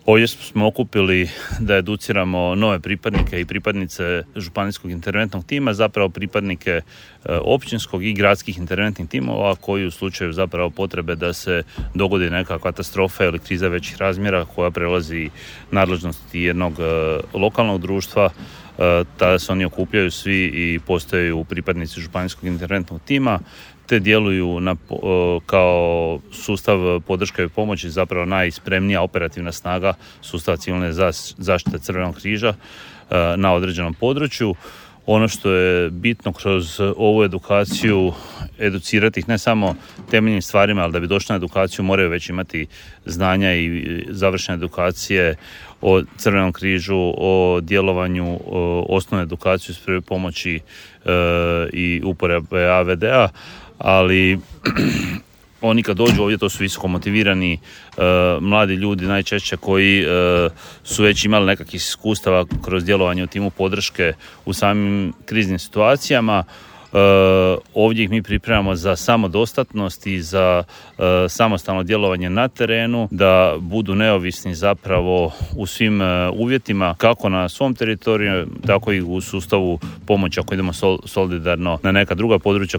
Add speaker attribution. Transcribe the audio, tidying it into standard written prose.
Speaker 1: Ovdje smo okupili da educiramo nove pripadnike i pripadnice županijskog interventnog tima, zapravo pripadnike općinskog i gradskih interventnih timova koji u slučaju zapravo potrebe da se dogodi neka katastrofa ili kriza većih razmjera koja prelazi nadležnosti jednog lokalnog društva, tada se oni okupljaju svi i postaju pripadnici županijskog interventnog tima te djeluju kao sustav podrške i pomoći, zapravo najspremnija operativna snaga sustava civilne zaštite Crvenog križa na određenom području. Ono što je bitno kroz ovu edukaciju, educirati ih ne samo temeljnim stvarima, ali da bi došli na edukaciju moraju već imati znanja i završene edukacije o Crvenom križu, o djelovanju, osnovnu edukaciju iz prve pomoći i uporabe AVD-a, ali oni kad dođu ovdje to su visoko motivirani mladi ljudi najčešće koji su već imali nekakvih iskustava kroz djelovanje u timu podrške u samim kriznim situacijama. Ovdje ih mi pripremamo za samodostatnost i za samostalno djelovanje na terenu, da budu neovisni zapravo u svim uvjetima, kako na svom teritoriju, tako i u sustavu pomoći ako idemo solidarno na neka druga područja.